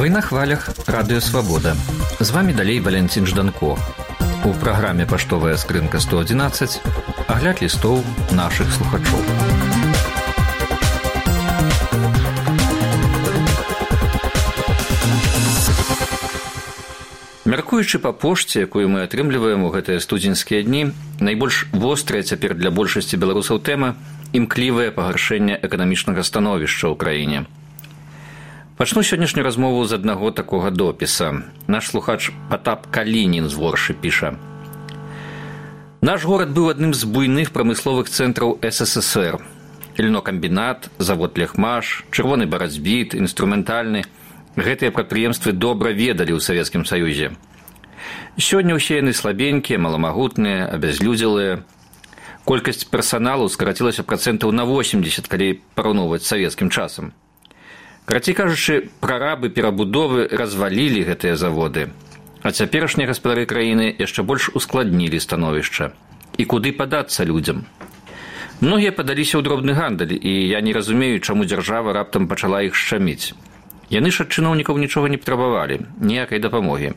Вы на хвалях Радыё Свабода. З вами далей Валянцін Жданко. У праграме «Паштовая скрынка 111» агляд лістоў нашых слухачоў. Мяркуючы па пошце, якую мы атрымліваем у гэтыя студзеньскія дні, найбольш вострая цяпер для большасці беларусаў тэма – імклівае пагаршэнне эканамічнага становішча ў краіне. Пачну сённяшнюю размову з аднаго такога допіса. Наш слухач Патап Калінін з Воршы піша. Наш горад быў адным з буйных прамысловых цэнтраў СССР. Льнокамбінат, завод Лехмаш, чырвоны барацьбіт, інструментальны. Гэтыя прадпрыемствы добра ведалі ў Савецкім Саюзе. Сёння ўсе яны слабенькія, маламагутныя, абязлюдзелыя. Колькасць персаналу скарацілася працэнтаў на 80, калі параўноўваць з савецкім часам. Карацей кажучы, прарабы перабудовы развалілі гэтыя заводы, а цяперашнія гаспадары краіны яшчэ больш ускладнілі становішча. І куды падацца людзям? Многія падаліся ў дробны гандаль, і я не разумею, чаму дзяржава раптам пачала іх шчаміць. Яны ж ад чыноўнікаў нічога не патрабавалі, ніякай дапамогі.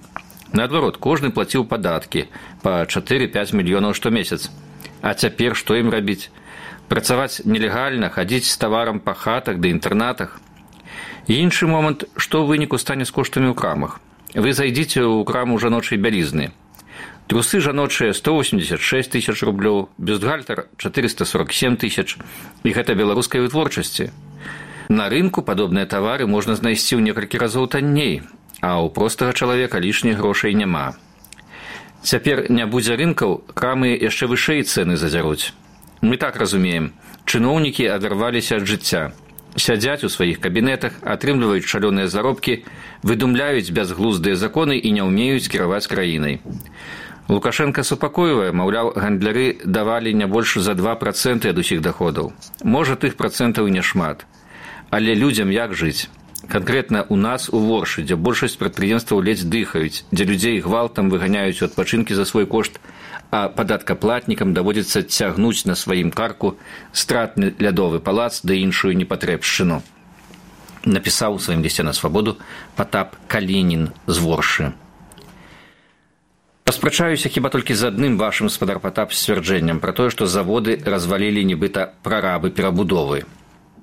Наадварот, кожны плаціў падаткі па 4-5 мільёнаў штомесяц. А цяпер што ім рабіць? Працаваць нелегальна, хадзіць з таварам па хатах ды інтэрнатах? І іншы момант, што ў выніку стане з коштамі ў крамах. Вы зайдзіце ў краму жаночай бялізны. Трусы жаночыя 186 тысяч рублёў, бюстгальтер 447 тысяч. І гэта беларускай вытворчасці. На рынку падобныя тавары можна знайсці ў некалькі разоў танней, а ў простага чалавека лішніх грошай няма. Цяпер не будзе рынкаў, крамы яшчэ вышэй цэны задзяруць. Мы так разумеем, чыноўнікі адарваліся ад жыцця. Сядзяць у сваіх кабінетах, атрымліваюць шалёныя заробкі, выдумляюць бязглуздыя законы і не ўмеюць кіраваць краінай. Лукашенка супакойвае, маўляў, гандляры давалі не больш за 2% ад усіх даходаў. Можа, тых працэнтаў і няшмат. Але людзям як жыць? Канкрэтна ў нас у Воршы, дзе большасць прадпрыемстваў ледзь дыхаюць, дзе людзей гвалтам выганяюць у адпачынкі за свой кошт, а падаткаплатнікам даводзіцца цягнуць на сваім карку стратны лядовы палац ды іншую непатрэбшчыну. Напісаў у сваім лісце на свабоду Патап Калінін з Воршы. Паспрачаюся хіба толькі з адным вашым, спадар Патап, сцвярджэннем пра тое, што заводы развалілі нібыта прарабы перабудовы.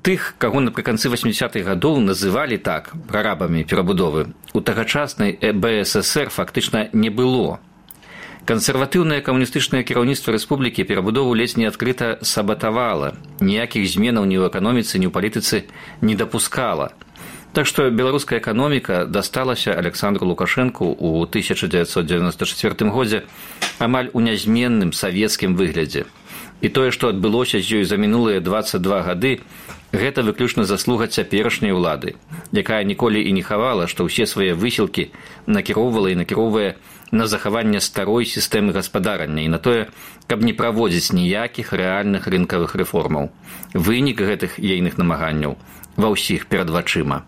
Тых, каго напрыканцы 80-х гадоў называлі так прарабамі перабудовы, у тагачаснай БССР фактычна не было. Кансерватыўнае камуністычнае кіраўніцтва рэспублікі перабудову ледзь не адкрыта сабатавала, ніякіх зменаў ні ў эканоміцы, ні ў палітыцы не дапускала. Так што беларуская эканоміка дасталася Александру Лукашэнку ў 1994 годзе амаль у нязменным савецкім выглядзе. І тое, што адбылося з ёй за мінулыя 22 гады, гэта выключна заслуга цяперашняй улады, якая ніколі і не хавала, што ўсе свае высілкі накіроўвала і накіроўвае на захаванне старой сістэмы гаспадарання і на тое, каб не праводзіць ніякіх рэальных рынкавых рэформаў. Вынік гэтых ейных намаганняў ва ўсіх перад вачыма.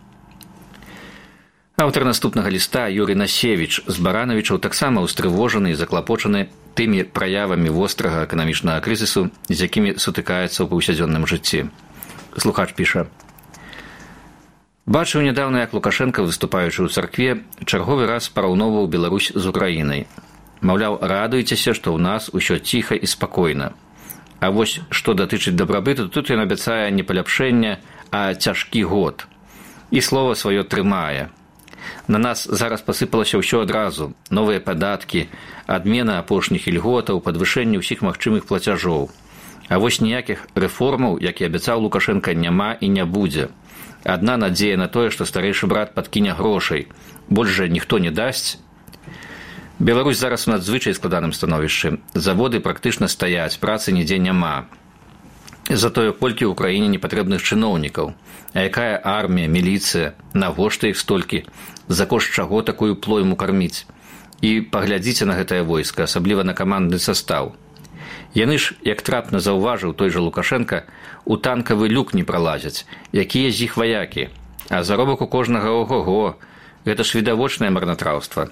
Аўтар наступнага ліста Юрый Насевіч з Баранавічаў таксама ўстрывожаны і заклапочаны тымі праявамі вострага эканамічнага крызісу, з якімі сутыкаецца ў паўсядзённым жыцці. Слухач піша. Бачыў нядаўна, як Лукашенка, выступаючы ў царкве, чарговы раз параўноўваў Беларусь з Украінай. Маўляў, радуйцеся, што ў нас усё ціха і спакойна. А вось, што датычыць дабрабыту, тут ён абяцае не паляпшэнне, а цяжкі год. І слова сваё трымае. На нас зараз пасыпалася ўсё адразу. Новыя падаткі, адмена апошніх ільготаў, падвышэнне ўсіх магчымых плацяжоў. А вось ніякіх рэформаў, як і абяцаў Лукашенка, няма і не будзе. Адна надзея на тое, што старэйшы брат падкіне грошай. Больш жа ніхто не дасць. Беларусь зараз у надзвычай складаным становішчы. Заводы практычна стаяць, працы нідзе няма. Затое колькі ў краіне непатрэбных чыноўнікаў. А якая армія, міліцыя, навошта іх столькі? За кошт чаго такую плойму карміць? І паглядзіце на гэтае войска, асабліва на камандны састаў. Яны ж, як трапна заўважыў той жа Лукашенка, у танкавы люк не пралазяць. Якія з іх ваякі? А заробак у кожнага ого-го. Гэта ж відавочнае марнатраўства.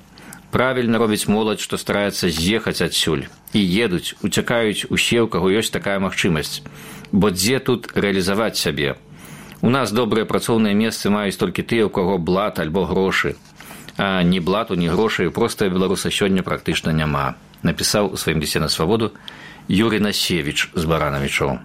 Правільна робіць моладзь, што стараецца з'ехаць адсюль. І едуць, уцякаюць усе, у каго ёсць такая магчымасць. Бо дзе тут рэалізаваць сябе? У нас добрыя працоўныя месцы маюць толькі тыя, у каго блат альбо грошы. А ні блату, ні грошай простага беларуса сёння практычна няма, напісаў у сваім лісце на свабоду Юрий Насевіч з Баранавічоў.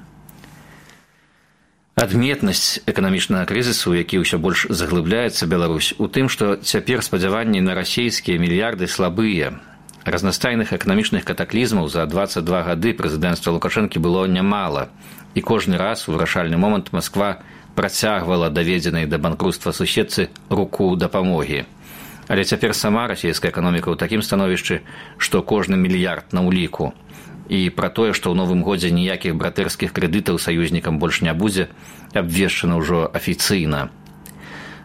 Адметнасць эканамічнага крызісу, які ўсё больш заглыбляецца Беларусь, у тым, што цяпер спадзяванні на расійскія мільярды слабыя. Разнастайных эканамічных катаклізмаў за 22 гады прэзідэнцтва Лукашэнкі было нямала, і кожны раз у вырашальны момант Масква працягвала даведзенай да банкруцтва суседцы руку дапамогі. Але цяпер сама расійская эканоміка ў такім становішчы, што кожны мільярд на ўліку. І пра тое, што ў новым годзе ніякіх братэрскіх крэдытаў саюзнікам больш не будзе, абвешчана ўжо афіцыйна.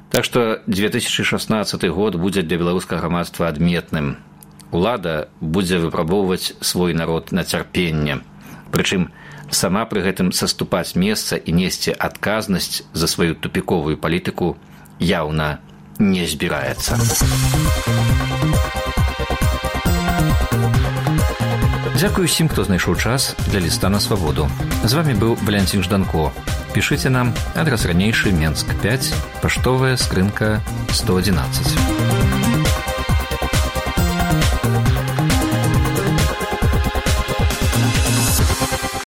Так што 2016 год будзе для беларускага грамадства адметным. Улада будзе выпрабоўваць свой народ на цярпенне. Прычым сама пры гэтым саступаць месца і несці адказнасць за сваю тупіковую палітыку яўна не збіраецца. Дзякую усім, хто знайшоў час для ліста на свабоду. З вамі быў Валянцін Жданко. Пішыце нам, адрас ранейшы, Менск 5, паштовая скрынка 111.